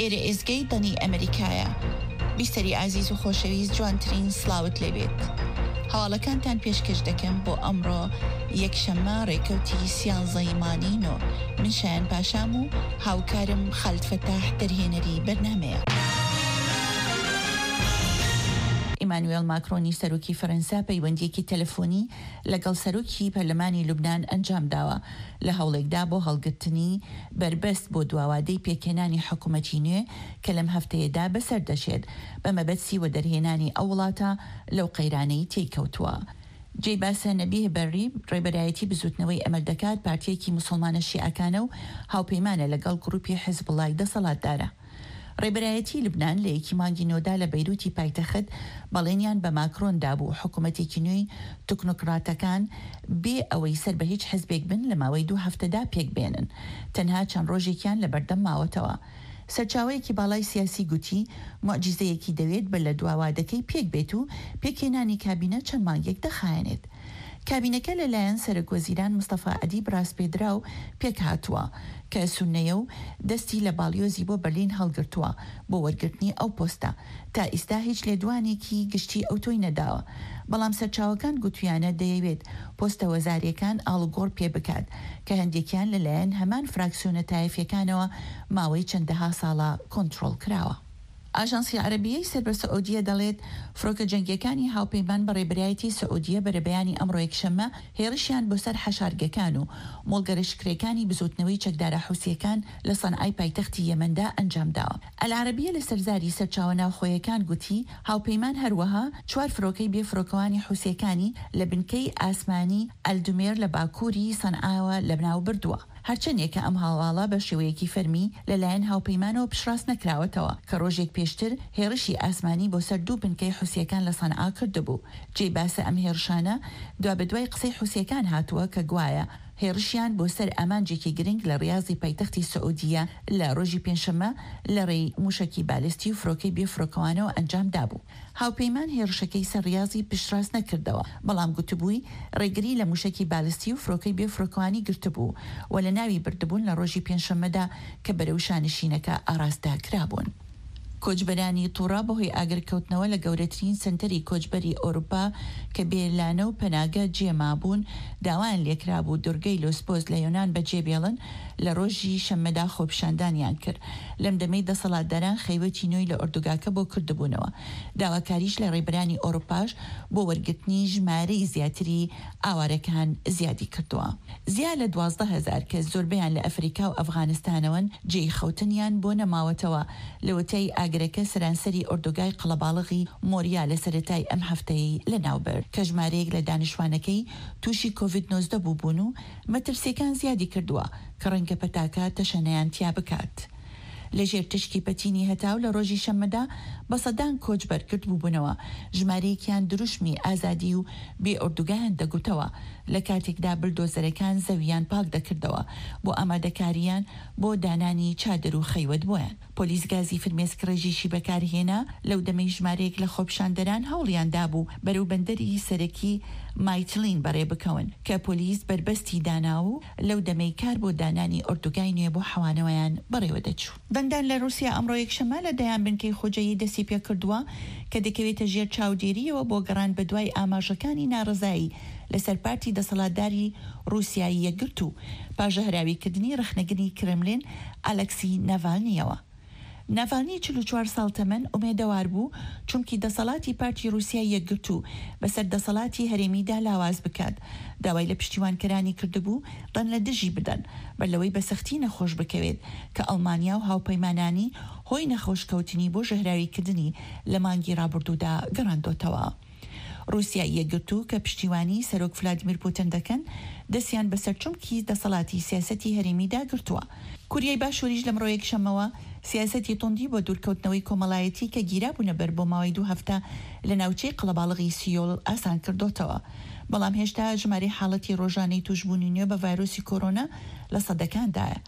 ئێرە ئێزگەی دەنگی ئەمریکایە. بیسەری ئازیز و خۆشەویست جوانترین سڵاوت لێبێت. هەواڵەکانتان پێشکەش دەکەم بۆ ئەمڕۆ یەکشەممە ڕێکەوتی سیانزەی مانگی نۆ. من شایان پاشام و هاوکارم خالد فەتاح دەرهێنەری بەرنامەیە. ئیمانوێڵ ماکرۆنی سەرۆکی فەرەنسا پەیوەندییەکی تەلەفۆنی لەگەڵ سەرۆکی پەرلەمانی لوبنان ئەنجامداوە لە هەوڵێکدا بۆ هەڵگرتنی بەربەست بۆ دواوادەی پێکهێنانی حکومەتی نوێ کە لەم هەفتەیەدا بەسەر دەچێت بە مەبەتسی وەدەرهێنانی ئەو وڵاتە لەو قەیرانەی تێی کەوتووە. جێی باسە نەبیه بەرری ڕێبەرایەتی بزوتنەوەی ئەمەل دەکات پارتیەکی موسڵمانە شیعەکانە و هاوپەیمانە لەگەڵ گروپی حزبوڵای دەسەڵاتدارە. ڕێبەرایەتی لوبنان لە یەکی مانگی نۆدا لە بەیروتی پایتەخت بەڵێنیان بە ماکرۆن دابوو حکومەتێکی نوێی تکنۆکڕاتەکان بێ ئەوەی سەر بە هیچ حزبێک بن لە ماوەی دوو هەفتەدا پێکبێنن. تەنها چەند ڕۆژێکیان لەبەردەم ماوەتەوە. سەرچاوەیەکی باڵای سیاسی گوتی، موعجیزەیەکی دەوێت بەر لە دوا وادەکەی پێک بێت و پێکهێنانی کابینە چەند مانگێک دەخایەنێت. کابینەکە لە لایەن سەرۆک وەزیران مستەفا ئەدیب ڕاسپێدراو پێکهاتووە، کە سوننەیە و دەستی لە باڵیۆزی بۆ بەرلین هەڵگرتووە بۆ وەرگرتنی ئەو پۆستە. تا ئیستا هیچ لێدوانێکی گشتی ئەوتۆی نەداوە، بەڵام سەرچاوەکان گوتویانە دەیەوێت پۆستە وەزارییەکان ئاڵوگۆڕ پێ بکات، کە هەندێکیان لە لایەن هەمان فراکسیۆنە تایەفیەکانەوە ماوەی چەندەها ساڵە کۆنتڕۆڵ کراوە. ئاژانسی عەرەبیەی سەر بە سعودیە دەڵێت، فڕۆکە جەنگیەکانی هاوپەیمان بە ڕێبەرایەتی سعودیە بەرەبەیانی ئەمڕۆ یەکشەممە هێڕشیان بۆ سەر حەشارگەکان و مۆڵگە لەشکرێکانی بزوتنەوەی چەکدارە حوسیەکان لە سەنعای پایتەختی یەمەندا ئەنجامداوە. ئەلعەرەبیە لەسەر زاری سەرچاوە ناوخۆیەکان گوتی، هاوپەیمان هەروەها چوار فرۆکەی بێ فرۆکەوانی حوسیەکانی لە بنکەی ئاسمانی ئەلدومێر لە باکووری سەنعاوە لەناو بردووە. هەرچەندێکە ئەم هەواڵە بە شێوەیەکی فەرمی لە لایەن هاوپەیمانەوە پشتڕاست نەکراوەتەوە کە ڕۆژێک پێشتر هێڕشی ئاسمانی بۆ سەر دوو بنکەی حوسیەکان لە سەنعا کردبوو. جێی باسە ئەم هێڕشانە دوابەدوای قسەی حوسیەکان هاتووە کە گوایە هێڕشیان بۆ سەر ئامانجێکی گرنگ لە ڕیازی پایتەختی سعودیە لە ڕۆژی پێنجشەممە لە ڕێی موشەکی بالستی و فرۆکەی بێ فرۆکەوانەوە ئەنجام دابوو. هاوپەیمان هێڕشەکەی سەر ڕیازی پشتڕاست نەکردەوە، بەڵام گوتبووی ڕێگری لە موشەکی بالستی و فرۆکەی بێ فرۆکەوانی گرتبوو و لەناوی بردبوون لە ڕۆژی پێنجشەممەدا کە بەرەو شانشینەکە ئاڕاستە کرابوون. کۆچبەرانی توڕە بەهۆی ئاگرکەوتنەوە لە گەورەترین سەنتەری کۆچبەری ئەوروپا کە بێ لانە و پەناگە جێ مابوون، داوایان لێکرابوو دورگەی لۆسبۆس لە یۆنان بەجێبێڵن، لە ڕۆژی شەممەدا خۆپیشاندانیان کرد لەم دەمەی دەسەڵاتداران خەیوەتی نوێی لە ئۆردوگاکە بۆ کردبوونەوە. داواکاریش لە ڕێبەرانی ئەوروپاش بۆ وەرگرتنی ژمارەی زیاتری ئاوارەکان زیادی کردووە. زیا لە 12,000 کەس زۆربەیان لە ئەفریکا و ئەفغانستانەوەن جێی خەوتنیان بۆ نەماوەتەوە لەوەتای ئاگرەکە سەرانسەری ئۆردوگای قەڵەباڵغی مۆریا لە سەرەتای ئەم هەفتەیەی لەناوبرد کە ژمارەیەک لە دانیشتوانەکەی تووشی کۆڤید 19 بووبوون و مەترسیەکان زیادی کردووە کە ڕەنگە پەتاکە تەشەنەیان تیا بکات. لە ژێر تشکی پەتینی هەتاو لە ڕۆژی شەممەدا بە سەدان کۆچبەر گردبووبوونەوە، ژمارەیەکیان دروشمی ئازادی و بێ ئۆردوگایان دەگوتەوە، لە کاتێکدا بلدۆزەرەکان زەوییان پاک دەکردەوە بۆ ئامادەکارییان بۆ دانانی چادر و خەیوەت بۆیان. پۆلیس گازی فرمێسکڕێژیشی بەکارهێنا، لەو دەمەی ژمارەیەک لە خۆپیشاندەران هەوڵیان دابوو بەرەو بەندەری سەرەکی مایتلین بەڕێ بکەون، کە پۆلیس بەربەستی دانا و لەو دەمەی کار بۆ دانانی ئۆردوگای نوێ بۆ حەوانەوەیان بەڕێوە دەچوو. دەنگدان لە ڕووسیا ئەمڕۆ یەکشەممە لە دەیان بنکەی خۆجێیی دەستی پێکردووە کە دەکەوێتە ژێر چاودێرییەوە بۆ گەڕان بەدوای ئاماژەکانی ناڕەزایی لەسەر پارتی دەسەڵاتداری ڕووسیای یەکگرتوو پاش ژەهراویکردنی ڕەخنەگری کرملین ئالەکسی ناڤالنییەوە. ناڤالنی 44 ساڵ تەمەن ئومێدەوار بوو چونکی دەسەڵاتی پارتی ڕووسیای یەکگرتوو بەسەر دەسەڵاتی هەرێمیدا لاواز بکات، داوای لە پشتیوانکەرانی کردبوو دەنگ لە دژی بدەن بەر لەوەی بە سەختی نەخۆش بکەوێت کە ئەڵمانیا و هاوپەیمانانی هۆی نەخۆشکەوتنی بۆ ژەهراویکردنی لە مانگی ڕابردوودا گەڕاندۆتەوە. ڕووسیای یەکگرتوو کە پشتیوانی سەرۆک فلادیمیر پوتن دەکەن، دەستیان بەسەر چمکی دەسەڵاتی سیاسەتی هەرێمیدا گرتووە. کوریای باشووریش لەمڕۆ یەکشەممەوە سیاسەتی توندی بۆ دوورکەوتنەوەی کۆمەڵایەتی کە گیرابوونە بەر بۆ ماوەی دوو هەفتە لە ناوچەی قەڵەباڵغی سیۆل ئاسان کردۆتەوە. بەڵام هێشتا ژمارەی حاڵەتی ڕۆژانەی تووشبوونی نوێ بە ڤایرۆسی کۆرۆنا لە سەدەکاندایە.